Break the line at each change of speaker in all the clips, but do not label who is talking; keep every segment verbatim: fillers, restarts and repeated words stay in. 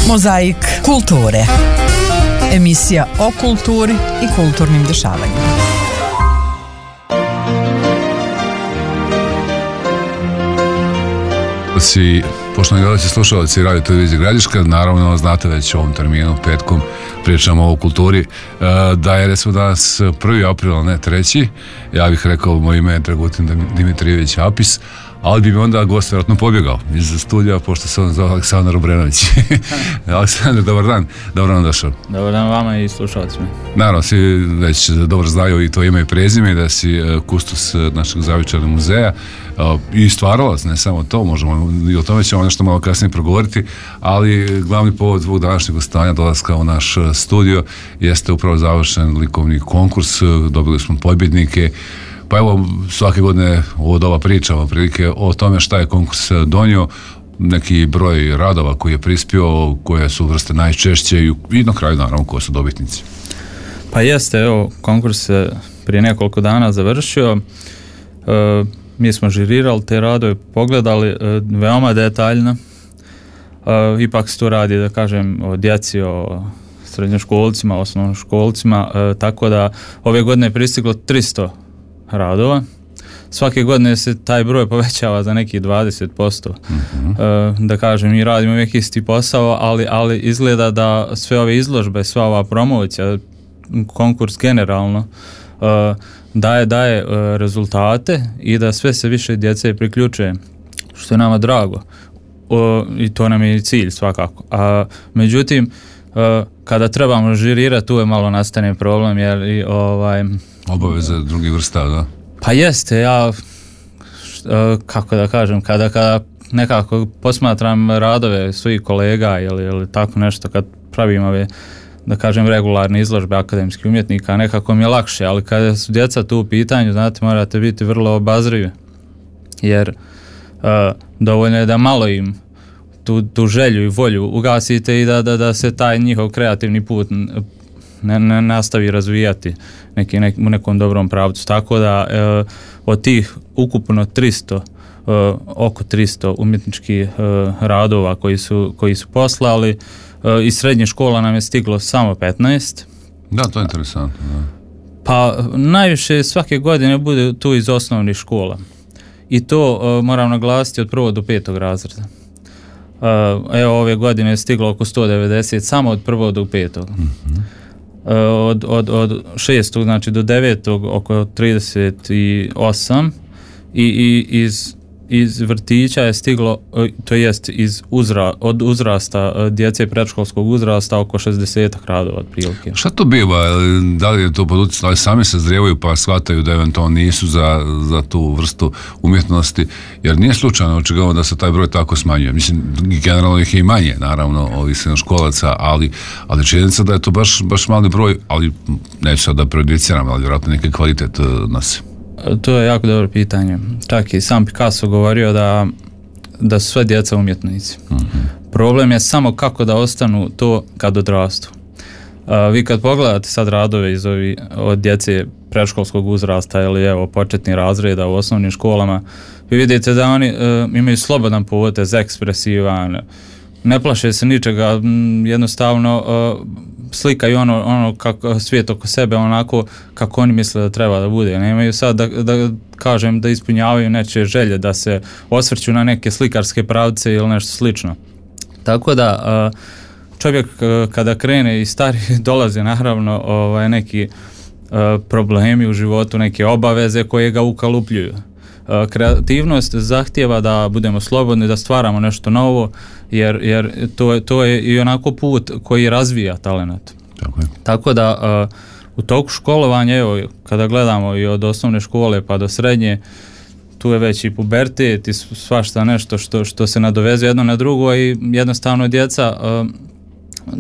Mozaik kulture. Emisija o kulturi i kulturnim dešavanjima.
Svi poštovani gledalci, slušalci Radio Televizije Gradiška, naravno znate već u ovom terminu, petkom, pričamo o kulturi, da je recimo danas prvi april, a ne treći. Ja bih rekao, moje ime je Dragutin Dimitrijević Apis, ali bi mi onda gost vjerojatno pobjegao iz studija, pošto se on zove Aleksandar Obrenović. Aleksandar, dobar dan, dobro nam došao.
Dobar dan vama i slušalcima.
Naravno, svi već dobro znaju i to ime i prezime, da si kustos našeg Zavičajnog muzeja i stvaralac, ne samo to, možemo i o tome ćemo nešto malo kasnije progovoriti, ali glavni povod ovog današnjeg gostovanja, dolaska u naš studio, jeste upravo završen likovni konkurs, dobili smo pobjednike. Pa evo, svake godine ovo doba pričamo prilike o tome šta je konkurs donio, neki broj radova koji je prispio, koje su vrste najčešće i na kraju naravno koje su dobitnici.
Pa jeste, evo, konkurs se prije nekoliko dana završio, e, mi smo žirirali te radove, pogledali e, veoma detaljno, e, ipak se tu radi, da kažem, o djeci, o srednjoškolcima, osnovnoškolcima, e, tako da ove godine je pristiglo tristo radova. Svake godine se taj broj povećava za nekih dvadeset posto. Mm-hmm. E, da kažem, mi radimo uvijek isti posao, ali, ali izgleda da sve ove izložbe, sva ova promocija, konkurs generalno, e, daje, daje e, rezultate i da sve se više djece priključuje, što je nama drago. O, i to nam je cilj svakako. A, međutim, e, kada trebamo žirirati, tu je malo nastane problem, jer i ovaj...
Obaveze drugih vrsta, da?
Pa jeste, ja, kako da kažem, kada, kada nekako posmatram radove svojih kolega ili, ili tako nešto, kad pravim ove, da kažem, regularne izložbe akademskih umjetnika, nekako mi je lakše, ali kada su djeca tu u pitanju, znate, morate biti vrlo obazrivi, jer uh, dovoljno je da malo im tu, tu želju i volju ugasite i da, da, da se taj njihov kreativni put ne, ne nastavi razvijati neki, nek, u nekom dobrom pravcu. Tako da e, od tih ukupno tristo, e, oko tristo umjetničkih e, radova koji su, koji su poslali, e, iz srednje škola nam je stiglo samo petnaest.
Da, to je interesantno. Da.
Pa najviše svake godine bude tu iz osnovnih škola. I to e, moram naglasiti od prvog do petog razreda. E, evo ove godine je stiglo oko sto devedeset samo od prvog do petog. Mm-hmm. Od, od, od šestog znači do devetog oko trideset osam i, i iz, iz vrtića je stiglo, to jest iz uzra, od uzrasta djece predškolskog uzrasta oko šezdeset radova otprilike.
Šta to biva? Da li je to pod utjecajem, ali sami se zrijevaju pa shvataju da eventualno nisu za, za tu vrstu umjetnosti, jer nije slučajno očigledno da se taj broj tako smanjuje. Mislim, generalno ih je i manje, naravno, ovih srednjoškolaca, ali, ali činjenica da je to baš, baš mali broj, ali neću sad da prejudiciram, ali vjerojatno neki kvalitet nosi.
To je jako dobro pitanje. Čak i sam Picasso govorio da, da su sve djeca umjetnici. Mm-hmm. Problem je samo kako da ostanu to kad odrastu. Uh, vi kad pogledate sad radove iz ovi, od djece predškolskog uzrasta ili evo početnih razreda u osnovnim školama, vi vidite da oni uh, imaju slobodan potez, ekspresivan, ne plaše se ničega, m, jednostavno uh, slikaju ono, ono kako svijet oko sebe onako kako oni misle da treba da bude. Nemaju sad da, da kažem da ispunjavaju nečije želje, da se osvrću na neke slikarske pravce ili nešto slično. Tako da čovjek kada krene i stari dolaze naravno ovaj, neki problemi u životu, neke obaveze koje ga ukalupljuju. Kreativnost zahtijeva da budemo slobodni, da stvaramo nešto novo, jer, jer to, to je i onako put koji razvija talenat.
Tako je.
Tako da uh, u toku školovanja, evo, kada gledamo i od osnovne škole pa do srednje, tu je već i pubertet i svašta nešto što, što se nadovezuje jedno na drugo i jednostavno djeca, uh,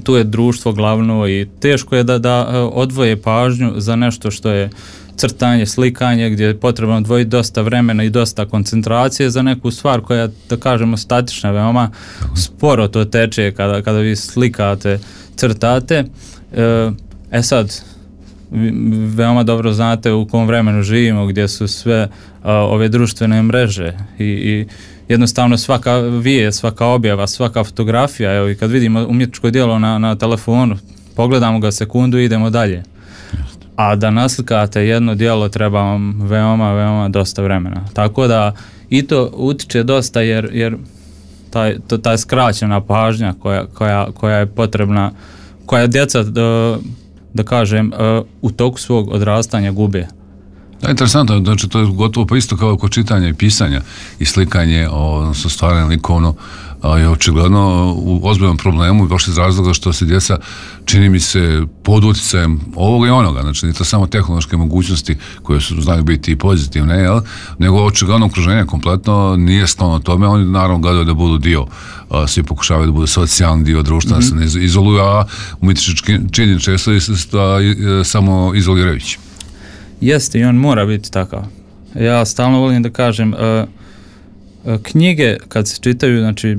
tu je društvo glavno i teško je da, da odvoje pažnju za nešto što je crtanje, slikanje, gdje je potrebno odvojiti dosta vremena i dosta koncentracije za neku stvar koja je, da kažemo, statična, veoma sporo to teče kada, kada vi slikate, crtate. E, e sad, veoma dobro znate u kom vremenu živimo, gdje su sve a, ove društvene mreže i, i jednostavno svaka vijest, svaka objava, svaka fotografija, evo i kad vidimo umjetničko djelo na, na telefonu, pogledamo ga sekundu i idemo dalje. A da naslikate jedno djelo treba vam veoma, veoma dosta vremena. Tako da i to utiče dosta jer, jer taj, to, taj skraćena pažnja koja, koja, koja je potrebna, koja djeca, da, da kažem, u toku svog odrastanja gube.
Da, interesantno, znači to je gotovo pa isto kao kod čitanja i pisanja i slikanje, odnosno stvaranje likovno, je očigledno u ozbiljnom problemu baš iz razloga što se djeca, čini mi se, pod utjecajem ovoga i onoga, znači nije to samo tehnološke mogućnosti koje su, znaju biti i pozitivne, jel? Nego očigledno okruženje kompletno nije sklono tome, oni naravno gledaju da budu dio, a, svi pokušavaju da budu socijalni dio društva, mm-hmm. da se ne izoluju, a umjetnički čin često je samo izolirajući.
Jeste, i on mora biti takav. Ja stalno volim da kažem, uh, knjige kad se čitaju, znači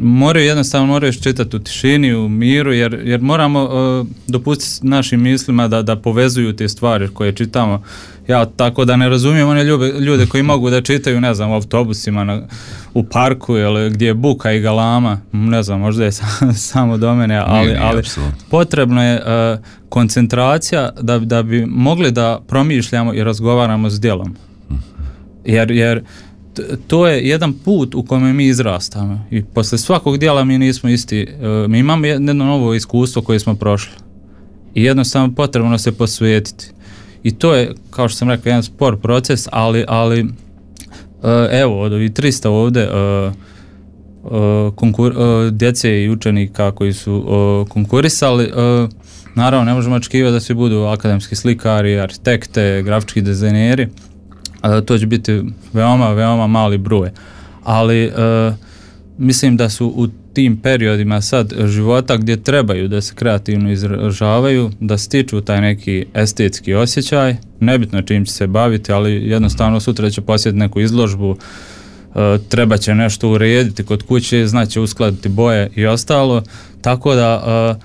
moraju jednostavno moraju čitati u tišini, u miru, jer, jer moramo uh, dopustiti našim mislima da, da povezuju te stvari koje čitamo. Ja tako da ne razumijem one ljude, ljude koji mogu da čitaju, ne znam, u autobusima, na, u parku, ili gdje je buka i galama, ne znam, možda je samo do mene, ali, nije, nije, ali potrebno je uh, koncentracija da, da bi mogli da promišljamo i razgovaramo s djelom. Jer, jer to je jedan put u kojem mi izrastamo i posle svakog djela mi nismo isti, mi imamo jedno novo iskustvo koje smo prošli i jednostavno potrebno se posvetiti i to je, kao što sam rekao, jedan spor proces, ali, ali evo, od ovih trista ovdje konkur, djece i učenika koji su konkurisali, naravno ne možemo očekivati da svi budu akademski slikari, arhitekte, grafički dizajneri. Uh, to će biti veoma, veoma mali broj. Ali uh, mislim da su u tim periodima sad života gdje trebaju da se kreativno izražavaju, da stiču taj neki estetski osjećaj, nebitno čim će se baviti, ali jednostavno sutra će posjetiti neku izložbu, uh, treba će nešto urediti kod kuće, znači uskladiti boje i ostalo, tako da uh,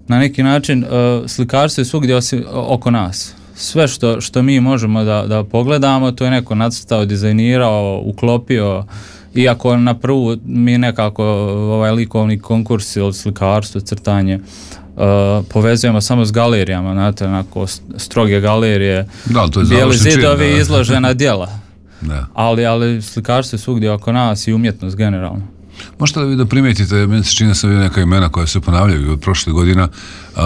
na neki način uh, slikarstvo je svugdje osim, oko nas. Sve što, što mi možemo da, da pogledamo, to je neko nacrtao, dizajnirao, uklopio, iako na prvu mi nekako ovaj likovni konkurs ili slikarstvo, crtanje uh, povezujemo samo s galerijama, znate, onako stroge galerije,
da, to je
bijeli zidovi i izložena djela.
Da.
Ali, ali slikarstvo je svugdje oko nas i umjetnost generalno.
Možete li da primijetite, meni se čini da sam vidio neka imena koja se ponavljaju od prošle godina, uh,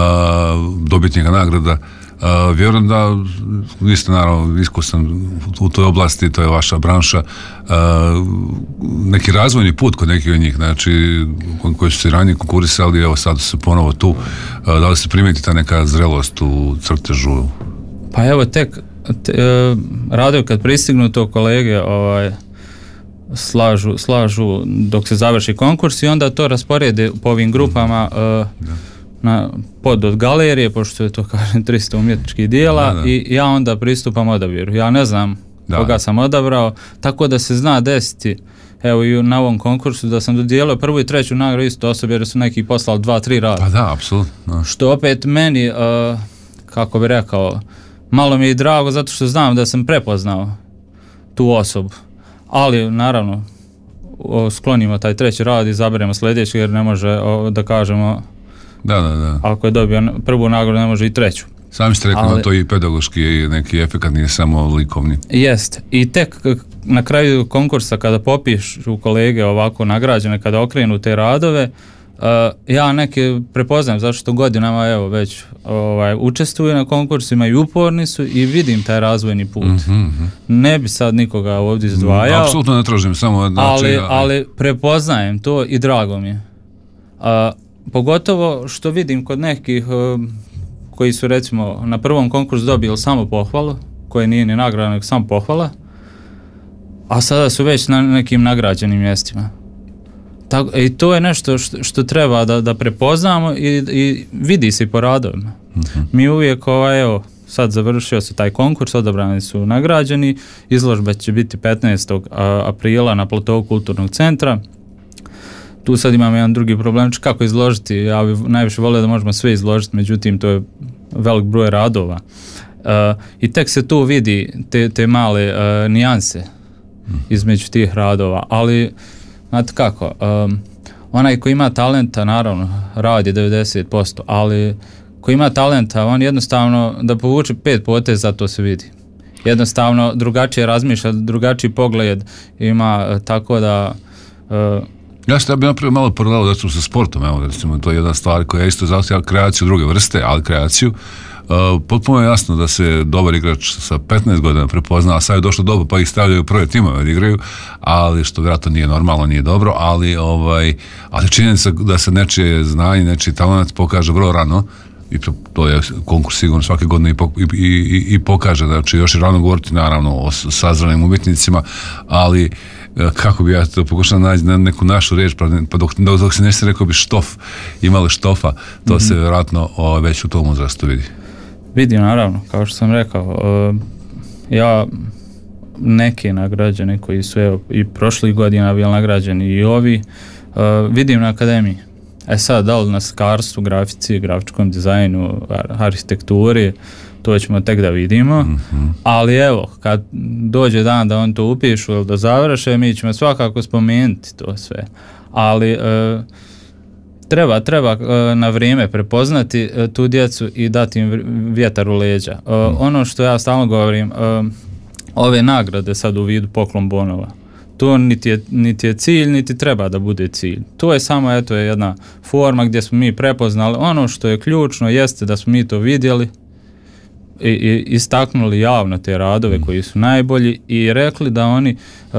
dobitnika nagrada. Uh, vjerujem da vi ste naravno iskusan u toj oblasti, to je vaša branša, uh, neki razvojni put kod nekih od njih, znači koji su se ranije konkurisali, evo sad su ponovo tu, uh, da li se primijeti ta neka zrelost u crtežu?
Pa evo tek te, uh, radovi kad pristignu to kolege ovaj, slažu, slažu dok se završi konkurs i onda to rasporede po ovim grupama uh, na pod od galerije, pošto je to, kažem, trista umjetničkih dijela, da, da. I ja onda pristupam odabiru. Ja ne znam da. koga sam odabrao, tako da se zna desiti, evo i na ovom konkursu, da sam dodijelio prvu i treću nagradu isto osobe, jer su neki poslali dva, tri rada.
Pa da, apsolutno.
Što opet meni, uh, kako bi rekao, malo mi je drago, zato što znam da sam prepoznao tu osobu. Ali, naravno, sklonimo taj treći rad i izaberemo sljedeći, jer ne može, o, da kažemo,
da, da, da.
ako je dobio prvu nagradu, ne može i treću.
Sami ste rekli, ali to i pedagoški i neki efekat, nije samo likovni.
Jest. I tek na kraju konkursa, kada popišu kolege ovako nagrađene, kada okrenu te radove, uh, ja neke prepoznajem, zato što godinama evo već ovaj, učestvuju na konkursima i uporni su i vidim taj razvojni put. Mm-hmm. Ne bi sad nikoga ovdje izdvajao.
Mm, apsolutno ne tražim, samo znači,
ali, ali prepoznajem to i drago mi je. Uh, pogotovo što vidim kod nekih uh, koji su recimo na prvom konkursu dobili samo pohvalu, koje nije ni nagrada, nego samo pohvala, a sada su već na nekim nagrađenim mjestima. Tako, i to je nešto što, što treba da, da prepoznamo i, i vidi se po radovima. Mm-hmm. Mi uvijek, ovaj, evo, sad završio se taj konkurs, odabrani su nagrađeni, izložba će biti petnaestog aprila na platovu kulturnog centra. Tu sad imamo jedan drugi problem, kako izložiti, ja bih najviše volio da možemo sve izložiti, međutim to je velik broj radova. Uh, I tek se tu vidi te, te male uh, nijanse. između tih radova, ali znate kako, um, onaj koji ima talenta, naravno, radi devedeset posto, ali koji ima talenta, on jednostavno da povuče pet poteza, to se vidi. Jednostavno drugačije razmišlja, drugačiji pogled ima, tako da... Uh,
Ja sam bi napravio malo paralelu da sa sportom, evo, recimo, to je jedna stvar koja isto zahtjeva kreaciju druge vrste, ali kreaciju. Uh, potpuno je jasno da se dobar igrač sa petnaest godina prepozna, a sad je došlo doba pa ih stavljaju u prve timove da igraju, ali što vjerojatno nije normalno, nije dobro, ali, ovaj, ali činjenica da se nečije znanje, nečiji talent pokaže vrlo rano, i to, to je konkurs sigurno svake godine i, i, i, i pokaže, znači još je rano govoriti naravno o sazranim umjetnicima, ali kako bi ja to pokušao naći na neku našu riječ, pa dok, dok se nešto rekao bi štof, imali štofa, to mm-hmm. se vjerojatno o, već u tom uzrastu vidi.
Vidim, naravno, kao što sam rekao, uh, ja neki nagrađeni koji su evo, i prošlih godina bili nagrađeni i ovi, uh, vidim na akademiji. E sad, da li na slikarstvu, grafici, grafičkom dizajnu, arhitekturi, to ćemo tek da vidimo, mm-hmm. ali evo, kad dođe dan da on to upišu ili da završe, mi ćemo svakako spomenuti to sve. Ali e, treba, treba e, na vrijeme prepoznati e, tu djecu i dati im vjetar u leđa. E, mm. Ono što ja stalno govorim, e, ove nagrade sad u vidu poklon bonova, to niti je, niti je cilj, niti treba da bude cilj. To je samo eto, jedna forma gdje smo mi prepoznali. Ono što je ključno jeste da smo mi to vidjeli i, i istaknuli javno te radove koji su najbolji i rekli da oni uh,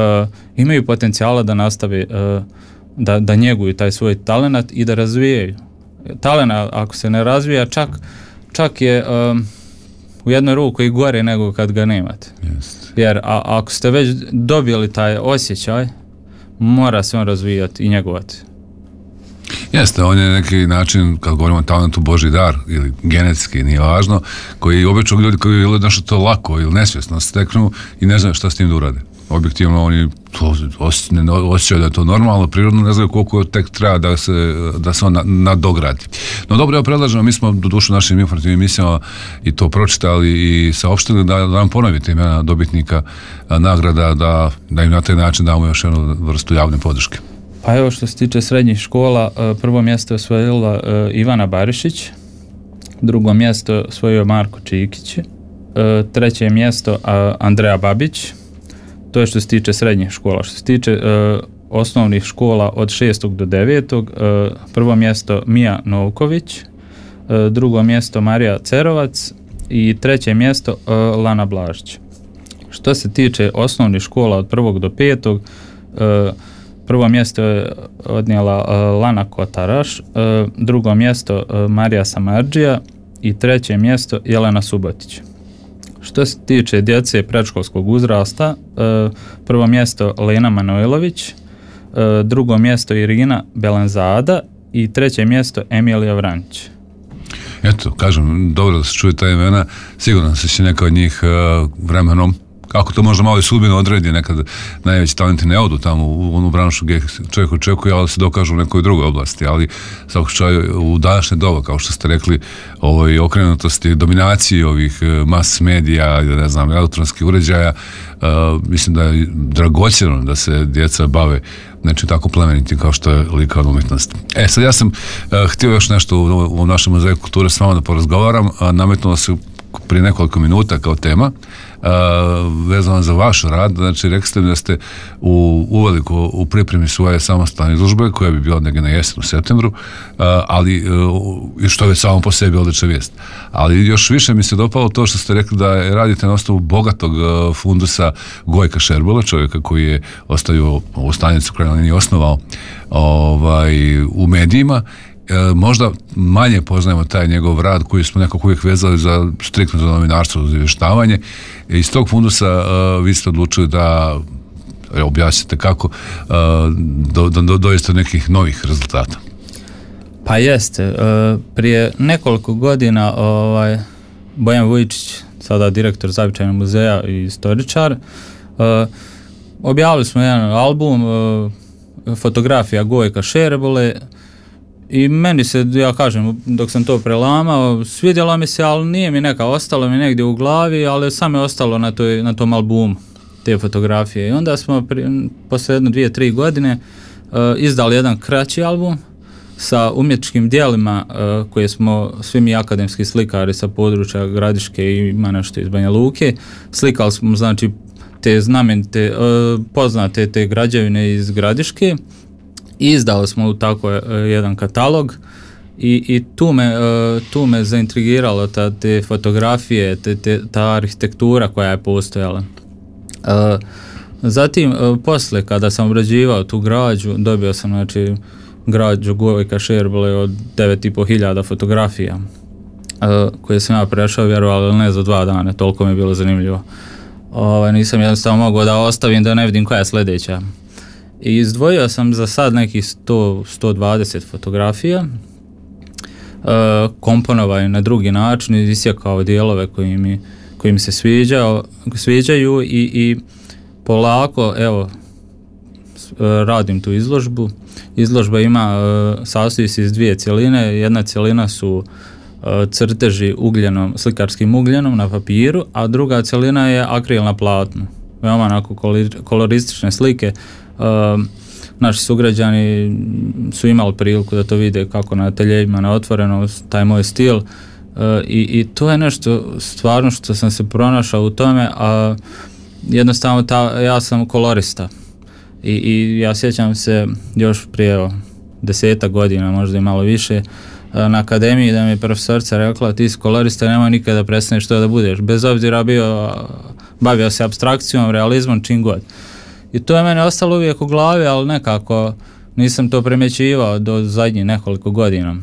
imaju potencijala da nastave, uh, da, da njeguju taj svoj talenat i da razvijaju. Talenat ako se ne razvija, čak, čak je um, u jednoj ruku i gore nego kad ga nemate.
Yes.
Jer a, ako ste već dobili taj osjećaj, mora se on razvijati i njegovati.
Jeste, on je neki način, kad govorimo o talentu, Božji dar ili genetski, nije važno, koji obično ljudi koji ili nešto to lako ili nesvjesno steknu i ne znaju šta s tim da urade. Objektivno oni osjećaju da je to normalno, prirodno, ne znaju koliko tek treba da se, da se on nadogradi. No dobro, ja predlažem, mi smo do dušu našim informativnim emisijama i to pročitali i saopštili da, da nam ponovite imena dobitnika nagrada, da, da im na taj način damo još jednu vrstu javne podrške.
Pa evo što se tiče srednjih škola, prvo mjesto je osvojila Ivana Barišić, drugo mjesto osvojio Marko Čikić, treće mjesto Andreja Babić, to je što se tiče srednjih škola. Što se tiče osnovnih škola od šestog do devetog, prvo mjesto Mija Novković, drugo mjesto Marija Cerovac i treće mjesto Lana Blažić. Što se tiče osnovnih škola od prvog do petog, prvo mjesto je odnijela Lana Kotaraš, drugo mjesto Marija Samardžija i treće mjesto Jelena Subotić. Što se tiče djece predškolskog uzrasta, prvo mjesto Lena Manojlović, drugo mjesto Irina Belenzada i treće mjesto Emilija Vrančić.
Eto, kažem, dobro da se čuje ta imena, sigurno se će neka od njih vremenom, kako to možda malo i sudbino odredi, nekad najveći talenti ne odu tamo u onu branšu gdje čovjek očekuje, ali se dokažu u nekoj drugoj oblasti, ali svakog slučaju u današnje doba, kao što ste rekli, ovoj okrenutosti, dominaciji ovih mas medija, ne znam, elektronskih uređaja, uh, mislim da je dragocjeno da se djeca bave znači tako plemenitim kao što je likovna umjetnost. E, sad ja sam uh, htio još nešto u, u našem muzeju kulture s vama da porazgovaram, a nametnulo se prije nekoliko minuta kao tema, Uh, vezano za vaš rad, znači rekli ste mi da ste u, uveliko u pripremi svoje samostalne izložbe koja bi bila negdje na jesen u septembru, uh, ali uh, što je samo po sebi odlična vijest. Ali još više mi se dopalo to što ste rekli da radite na osnovu bogatog uh, fundusa Gojka Šerbula, čovjeka koji je ostavio ovu stanicu koja nije osnovao ovaj, u medijima. E, možda manje poznajemo taj njegov rad koji smo nekako uvijek vezali za striktno za novinarstvo, za izvještavanje. E, iz tog fundusa e, vi ste odlučili da e, objasnite kako e, do, do, dovesti do nekih novih rezultata.
Pa jeste. E, prije nekoliko godina ovaj, Bojan Vujičić, sada direktor Zavičajnog muzeja i istoričar, e, objavili smo jedan album e, fotografija Gojka Šerbule. I meni se, ja kažem, dok sam to prelamao, svidjelo mi se, ali nije mi neka, ostalo mi negdje u glavi, ali sam je ostalo na, toj, na tom albumu. te fotografije. I onda smo pri, posle jedno dvije, tri godine uh, izdali jedan kraći album sa umjetničkim dijelima uh, koje smo svi mi akademski slikari sa područja Gradiške i ima nešto iz Banja Luke. Slikali smo znači te znamenite, uh, poznate te građevine iz Gradiške i izdali smo u tako uh, jedan katalog i, i tu, me, uh, tu me zaintrigiralo ta, te fotografije, te, te, ta arhitektura koja je postojala. Uh, zatim, uh, posle kada sam obrađivao tu građu, dobio sam znači građu Gojka Šerbole od devet i po hiljada fotografija uh, koje sam ja prešao, vjerovali ili ne, za dva dana, toliko mi je bilo zanimljivo. Uh, nisam jednostavno mogao da ostavim da ne vidim koja je sljedeća. I izdvojio sam za sad nekih sto do sto dvadeset fotografija, uh, komponovao na drugi način, isjekao dijelove koji mi, koji mi se sviđao, sviđaju i, i polako, evo, radim tu izložbu. Izložba ima, sastoji se iz dvije cjeline. Jedna cjelina su crteži ugljenom, slikarskim ugljenom na papiru, a druga cjelina je akril na platnu. Veoma onako koloristične slike. Naši sugrađani su imali priliku da to vide kako na ateljejima na otvorenom, taj moj stil. I, i to je nešto stvarno što sam se pronašao u tome, a jednostavno ta, ja sam kolorista. I, i ja sjećam se još prije desetak godina, možda i malo više, na akademiji da mi je profesorica rekla ti si kolorista, nemoj nikada prestaneš to da budeš, bez obzira bio, bavio se apstrakcijom, realizmom, čim god. I to je meni ostalo uvijek u glavi, ali nekako nisam to primjećivao do zadnjih nekoliko godina.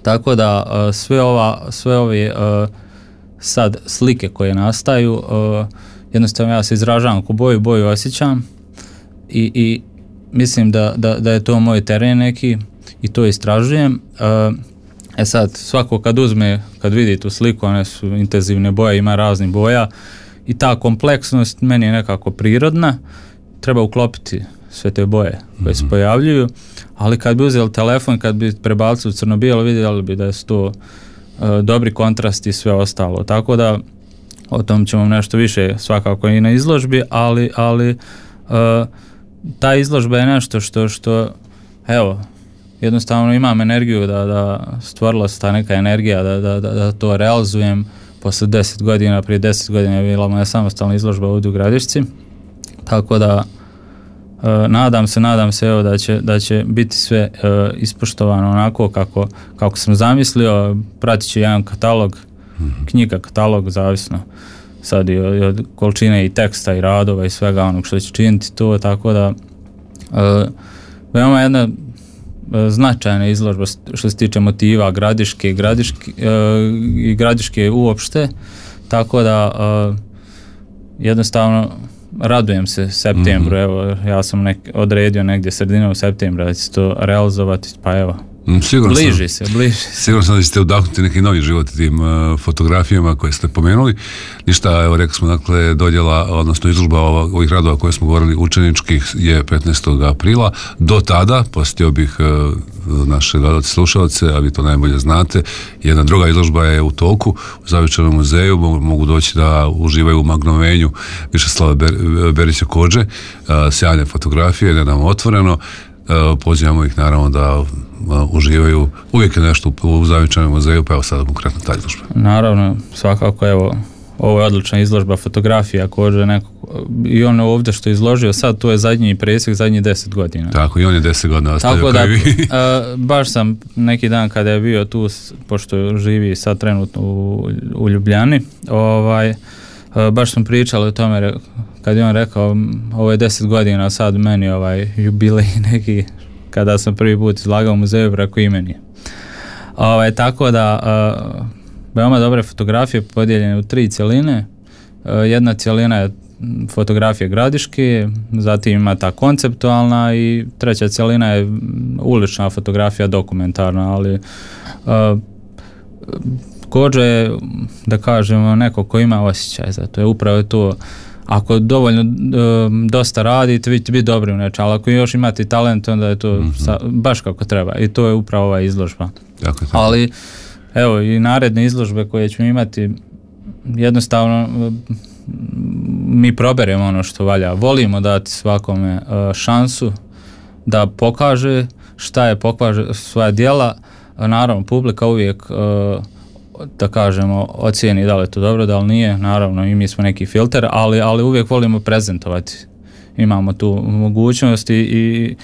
Tako da sve, ova, sve ove sad slike koje nastaju, jednostavno ja se izražavam ko boju, boju osjećam. I, i mislim da, da, da je to moj teren neki i to istražujem. E sad, svako kad uzme, kad vidi tu sliku, one su intenzivne boje, ima raznih boja i ta kompleksnost meni je nekako prirodna, treba uklopiti sve te boje koje se pojavljuju, ali kad bi uzeli telefon, kad bi prebacili u crno-bijelo, vidjeli bi da su to uh, dobri kontrasti i sve ostalo, tako da o tom ćemo nešto više svakako i na izložbi, ali, ali uh, ta izložba je nešto što, što evo, jednostavno imam energiju da, da stvorila se ta neka energija da, da, da, da to realizujem posle deset godina, prije deset godina je bila moja samostalna izložba ovdje u Gradišci, tako da e, nadam se, nadam se evo da će, da će biti sve e, ispoštovano onako kako, kako sam zamislio, pratit će jedan katalog, knjiga, katalog, zavisno sad i od, od količine i teksta i radova i svega onog što će činiti to, tako da e, veoma jedna e, značajna izložba što se tiče motiva Gradiške, Gradiške e, i Gradiške uopšte, tako da e, jednostavno radujem se septembru, mm-hmm. evo ja sam nek, odredio negdje sredinom septembra da će to realizovati, pa evo
Sigurno
bliži
sam,
se, bliži se.
Sigurno sam da ćete udahnuti neki novi život tim uh, fotografijama koje ste pomenuli. Ništa, evo rekli smo, dakle, dodjela, odnosno izložba ovih radova koje smo govorili učeničkih je petnaestog aprila. Do tada, posjetio bih uh, naše gledalce, slušalce, a vi to najbolje znate, jedna druga izložba je u toku u Zavičajnom muzeju, mogu, mogu doći da uživaju u magnovenju Višeslava Ber, Berića Kođe, uh, sjajne fotografije, nedavno otvoreno. Pozivamo ih naravno da uživaju, uvijek je nešto u Zavičajnom muzeju, pa evo sada konkretno ta izložba.
Naravno, svakako, evo, ovo je odlična izložba fotografija Kođe, neko, i on ovdje što je izložio sad, to je zadnji presjek, zadnji deset godina.
Tako, i on je deset godina ostavio
kao
da,
i vi. a, baš sam neki dan kada je bio tu, pošto živi sad trenutno u, u Ljubljani, ovaj, a, baš sam pričali o tome, kad je on rekao, ovo je deset godina sad meni ovaj jubilej neki, kada sam prvi put izlagao u muzeju preko imeni. Ovaj, tako da, uh, veoma dobre fotografije podijeljene u tri cjeline. Uh, jedna cjelina je fotografije Gradiške, zatim ima ta konceptualna i treća cjelina je ulična fotografija, dokumentarna, ali uh, Kođe je, da kažemo, neko ko ima osjećaj za to, je upravo to. Ako dovoljno um, dosta radite, vi ćete biti dobri u nečem, ali ako još imate talent, onda je to mm-hmm. sa, baš kako treba. I to je upravo ova izložba. Tako, tako. Ali, evo, i naredne izložbe koje ćemo imati, jednostavno mi proberemo ono što valja. Volimo dati svakome uh, šansu da pokaže šta je, pokaže svoja djela. Naravno, publika uvijek uh, da kažemo, ocijeni da li je to dobro, da li nije, naravno i mi smo neki filter, ali, ali uvijek volimo prezentovati. Imamo tu mogućnost i, i,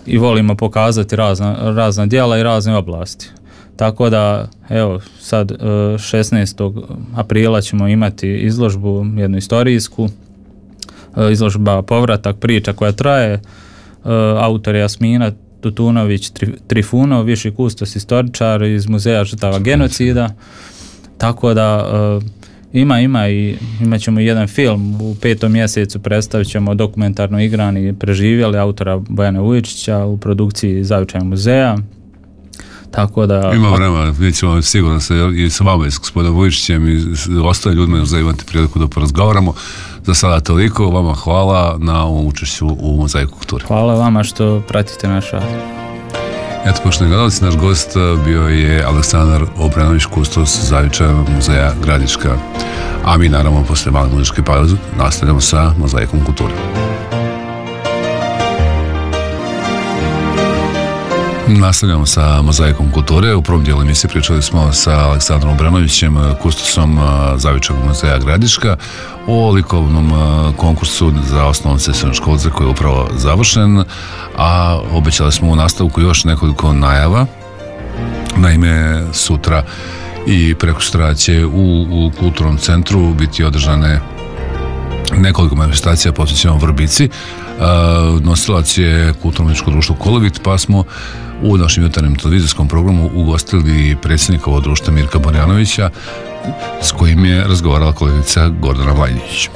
i volimo pokazati razna, razna djela i razne oblasti. Tako da, evo, sad šesnaestog aprila ćemo imati izložbu, jednu istorijsku, izložba Povratak, priča koja traje, autor je Jasmina Tutunović Trifunov, viši kustos istoričar iz Muzeja žrtava genocida, tako da ima, ima i imat ćemo jedan film u petom mjesecu, predstavit ćemo dokumentarno igrani Preživjeli autora Bojana Vujičića u produkciji Zavičajnog muzeja. Tako da...
Ima vremena, mi ćemo sigurno se i sa vama i s gospodinom Vujičićem i ostale ljudima za imati priliku da porazgovaramo. Za sada toliko, vama hvala na ovom učešću u Mozaiku kulture.
Hvala vama što pratite naš rad.
Eto, poštovani gledalci, naš gost bio je Aleksandar Obrenović, kustos Zavičajnog muzeja Gradiška. A mi naravno posle male muzičke pauze nastavljamo sa Mozaikom kulture. Nastavljamo sa Mozaikom kulture. U prvom dijelu emisije pričali smo sa Aleksandrom Obrenovićem, kustosom Zavičajnog muzeja Gradiška, o likovnom konkursu za osnovce i srednjoškolce koji je upravo završen, a obećali smo u nastavku još nekoliko najava. Naime, sutra i prekosutra će u, u kulturnom centru biti održane nekoliko manifestacija posvećeno Vrbici. Nosilac je kulturno-umjetničko društvo Kolovit, pa smo u našem jutarnjem televizijskom programu ugostili predsjednika ovog društva Mirka Borjanovića, s kojim je razgovarala kolegica Gordana Vlajnić.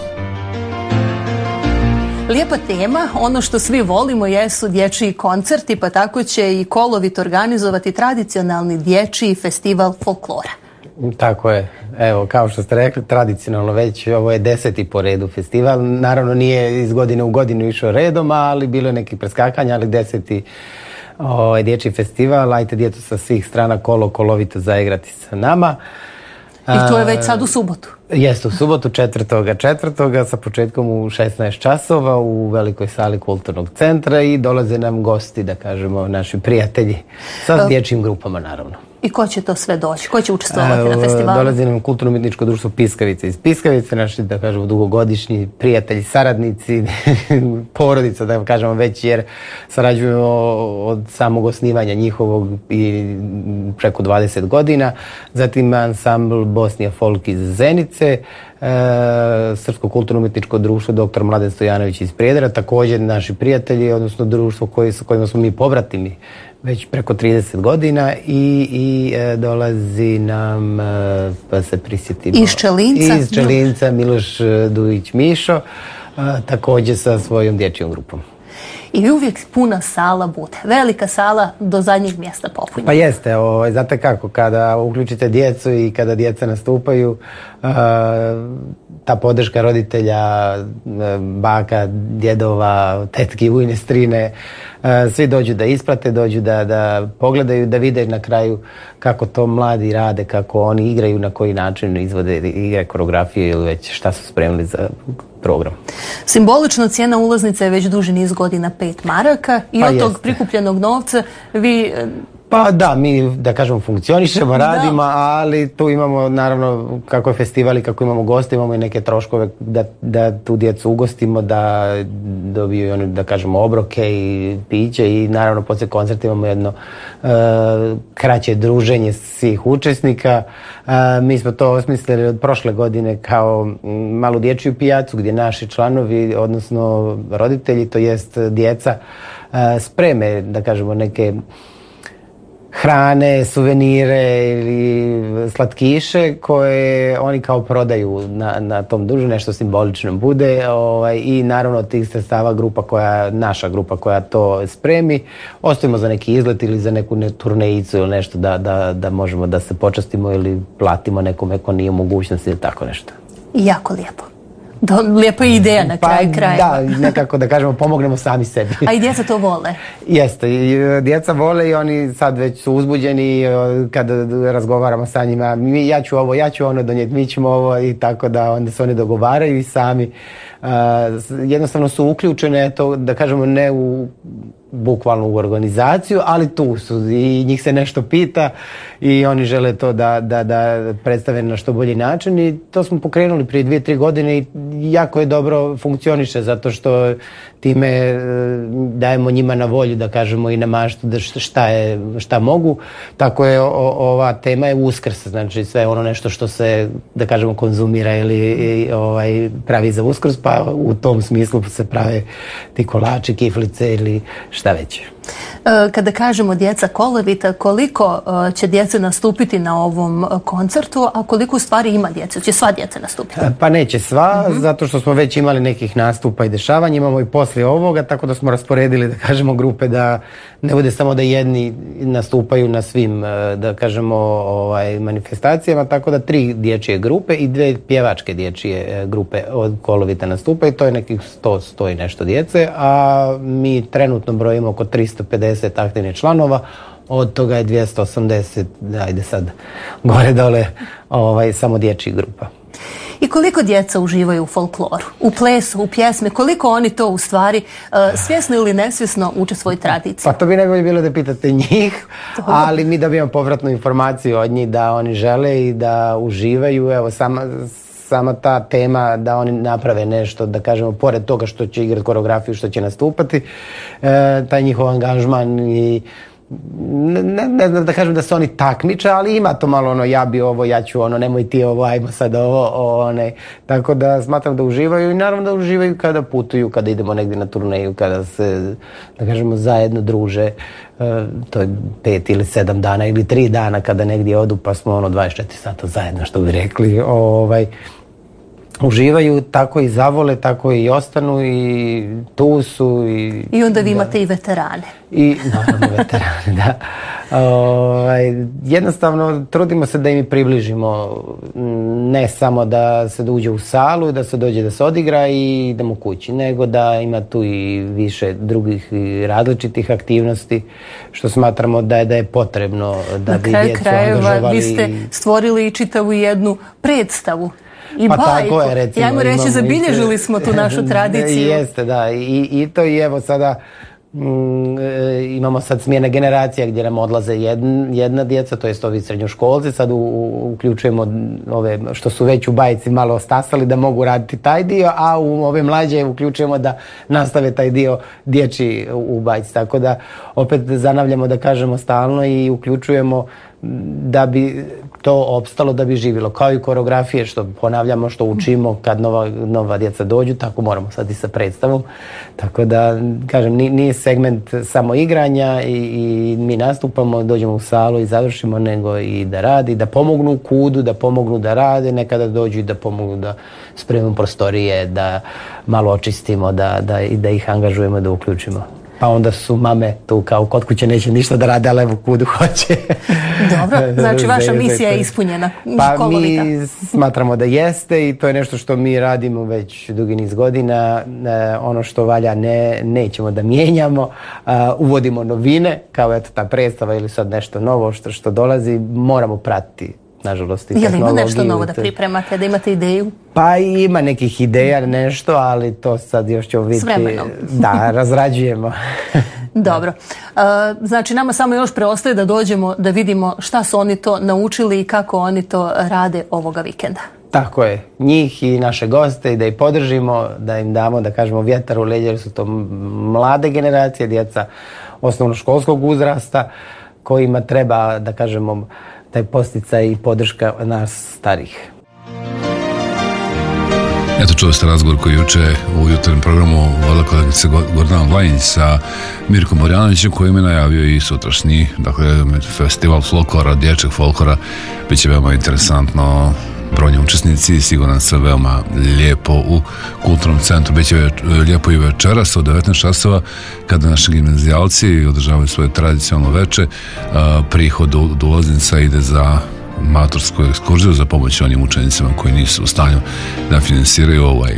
Lijepa tema, ono što svi volimo jesu dječji koncerti, pa tako će i Kolovit organizovati tradicionalni dječji festival folklora.
Tako je. Evo, kao što ste rekli, tradicionalno već ovo je deseti po redu festival. Naravno nije iz godine u godinu išao redom, ali bilo je nekih preskakanja, ali deseti ovaj, dječji festival. Ajte djecu sa svih strana kolo kolovito zaigrati sa nama.
I to je već sad u subotu.
Jeste, u subotu četvrtoga četvrtoga sa početkom u šesnaest časova u velikoj sali kulturnog centra i dolaze nam gosti, da kažemo, naši prijatelji sa dječjim grupama, naravno.
I ko će to sve doći? Ko će učestvovati na festivalu?
Dolazi nam kulturno-umjetničko društvo Piskavice iz Piskavice, naši, da kažemo, dugogodišnji prijatelji, saradnici, porodica, da kažemo već, jer sarađujemo od samog osnivanja njihovog i preko dvadeset godina. Zatim ansambl Bosnija Folk iz Zenice, E, Srpsko kulturno-umjetničko društvo doktor Mladen Stojanović iz Prijedora, također naši prijatelji, odnosno društvo koji, s kojima smo mi povratimi već preko trideset godina i, i e, dolazi nam, e, pa se prisjetimo,
iz Čelinca,
iz Čelinca Miloš Dujić Mišo, e, također sa svojom dječjom grupom.
I uvijek puna sala bude. Velika sala do zadnjeg mjesta popunjena.
Pa jeste, o, znate kako, kada uključite djecu i kada djeca nastupaju, uh, ta podrška roditelja, baka, djedova, tetki, ujne, strine, uh, svi dođu da isprate, dođu da, da pogledaju, da vide na kraju kako to mladi rade, kako oni igraju, na koji način izvode igre, koreografije ili već šta su spremili za program.
Simbolična cijena ulaznice je već duži niz godina pet maraka i
pa
od
jeste.
tog prikupljenog novca vi...
Pa da, mi da kažemo funkcionišemo, radimo, da. Ali tu imamo naravno kako je festival i kako imamo goste, imamo i neke troškove da, da tu djecu ugostimo, da dobiju oni, da kažemo, obroke i piće i naravno poslije koncerta imamo jedno uh, kraće druženje svih učesnika. Uh, mi smo to osmislili od prošle godine kao malu dječju pijacu gdje naši članovi, odnosno roditelji, to jest djeca, uh, spreme, da kažemo, neke hrane, suvenire ili slatkiše koje oni kao prodaju na, na tom druženju, nešto simbolično bude, ovaj, i naravno od tih sredstava grupa koja, naša grupa koja to spremi, ostavimo za neki izlet ili za neku ne, turnejicu ili nešto da, da, da možemo da se počastimo ili platimo nekome ko nije u mogućnosti ili tako nešto.
Jako lijepo. Do, lijepa ideja na kraju
pa,
kraja.
Da, nekako da kažemo pomognemo sami sebi.
A i djeca to vole?
Jeste, i djeca vole i oni sad već su uzbuđeni kada razgovaramo sa njima. Mi, ja ću ovo, ja ću ono donijeti, mi ćemo ovo i tako da onda se oni dogovaraju i sami jednostavno su uključene, to, da kažemo, ne u bukvalno u organizaciju, ali tu su i njih se nešto pita i oni žele to da, da, da predstave na što bolji način i to smo pokrenuli prije dvije, tri godine i jako je dobro funkcioniše zato što time dajemo njima na volju, da kažemo, i na maštu da šta, je, šta mogu. Tako je o, ova tema je Uskrs, znači sve ono nešto što se, da kažemo, konzumira ili i, ovaj, pravi za Uskrs, pa u tom smislu se prave ti kolači, kiflice ili šta već.
Kada kažemo djeca Kolovita, koliko će djece nastupiti na ovom koncertu, a koliko u stvari ima djece? Će sva djeca nastupiti?
Pa neće sva,
uh-huh.
zato što smo već imali nekih nastupa i dešavanja, imamo i poslije ovoga, tako da smo rasporedili, da kažemo, grupe da ne bude samo da jedni nastupaju na svim, da kažemo, ovaj, manifestacijama, tako da tri dječje grupe i dve pjevačke dječje grupe od Kolovita nastupa i to je nekih sto, sto i nešto djece, a mi trenutno brojimo oko tristo pedeset aktivnih članova, od toga je dvjesto osamdeset, ajde sad, gore dole, ovaj, samo dječjih grupa.
I koliko djeca uživaju u folkloru, u plesu, u pjesme, koliko oni to u stvari uh, svjesno ili nesvjesno uče svoju tradiciju?
Pa to bi najbolje bilo da pitate njih, ali mi dobijamo povratnu informaciju od njih da oni žele i da uživaju, evo sama... sama ta tema da oni naprave nešto, da kažemo, pored toga što će igrati koreografiju, što će nastupati, e, taj njihov angažman i ne, ne znam da kažem da se oni takmiče, ali ima to malo ono ja bi ovo, ja ću ono, nemoj ti ovo, ajmo sad ovo, onaj. Tako da smatram da uživaju i naravno da uživaju kada putuju, kada idemo negdje na turneju, kada se, da kažemo, zajedno druže. E, to je pet ili sedam dana ili tri dana kada negdje odu, pa smo ono dvadeset četiri sata zajedno, što bi rekli. Ovaj, uživaju, tako i zavole, tako i ostanu i tu su. I,
I onda vi
da.
imate i veterane.
I naravno veterane, da. Ovaj, jednostavno trudimo se da im približimo, ne samo da se uđe u salu, da se dođe da se odigra i idemo kući, nego da ima tu i više drugih i različitih aktivnosti, što smatramo da je, da je potrebno da bi djecu angažovali.
Vi ste stvorili i čitavu jednu predstavu. I
pa
bajku.
Tako je, recimo.
Ajmo reći, zabilježili smo tu našu tradiciju.
Jeste, da. I, i to i evo sada mm, e, imamo sad smjene generacija gdje nam odlaze jedna, jedna djeca, to jest ovi srednjoškolci, sad u, u, uključujemo ove što su već u bajci malo ostasali da mogu raditi taj dio, a u ove mlađe uključujemo da nastave taj dio dječji u, u bajci. Tako da opet zanavljamo, da kažemo, stalno i uključujemo da bi to opstalo, da bi živjelo. Kao i koreografije, što ponavljamo, što učimo kad nova, nova djeca dođu, tako moramo sad i sa predstavom. Tako da, kažem, nije segment samo igranja i, i mi nastupamo, dođemo u salu i završimo, nego i da radi, da pomognu u kudu, da pomognu da rade, nekada dođu i da pomognu da spremimo prostorije, da malo očistimo, da, da, i da ih angažujemo, da uključimo. Pa onda su mame tu kao kod kuće neće ništa da rade, ali evo kudu hoće.
Dobro, znači vaša misija je ispunjena.
Pa
Kolovita.
Mi smatramo da jeste i to je nešto što mi radimo već dugi niz godina. E, ono što valja ne, nećemo da mijenjamo. E, uvodimo novine, kao eto ta predstava ili sad nešto novo što, što dolazi, moramo pratiti. Nažalost, i
je li ima nešto novo
te...
da pripremate, da imate ideju?
Pa ima nekih ideja, nešto, ali to sad još ćemo vidjeti.
S vremenom.
Da, razrađujemo.
Dobro. Uh, znači, nama samo još preostaje da dođemo da vidimo šta su oni to naučili i kako oni to rade ovoga vikenda.
Tako je. Njih i naše goste i da ih podržimo, da im damo, da kažemo, vjetar u leđa, jer su to mlade generacije, djeca osnovnoškolskog uzrasta, kojima treba, da kažemo, taj posticaj i podrška nas starih.
Eto, čuli ste razgovor koji juče u jutarnjem programu vodila kolegica Gordana Vlajnić sa Mirkom Borjanovićem, koji me najavio i sutrašnji, dakle, festival folklora, dječjeg folklora. Biće veoma interesantno, brojni učesnici, siguran sam veoma lijepo u kulturnom centru. Biće lijepo i večeras od devetnaest časova kada naši gimnazijalci održavaju svoje tradicionalno veče. Prihod do ulaznica ide za matursku ekskurziju za pomoć onim učenicima koji nisu u stanju da finansiraju ovaj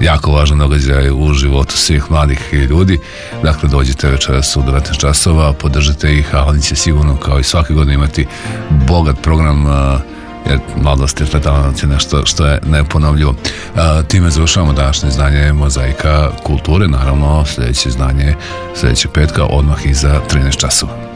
jako važan događaj u životu svih mladih ljudi. Dakle, dođite večeras u devetnaest časova, podržite ih, a oni će sigurno kao i svake godine imati bogat program jer mladost je talent je nešto što je neponovljivo. A, time završavamo današnje izdanje Mozaika kulture, naravno sljedeće izdanje sljedećeg petka odmah iza trinaest časova.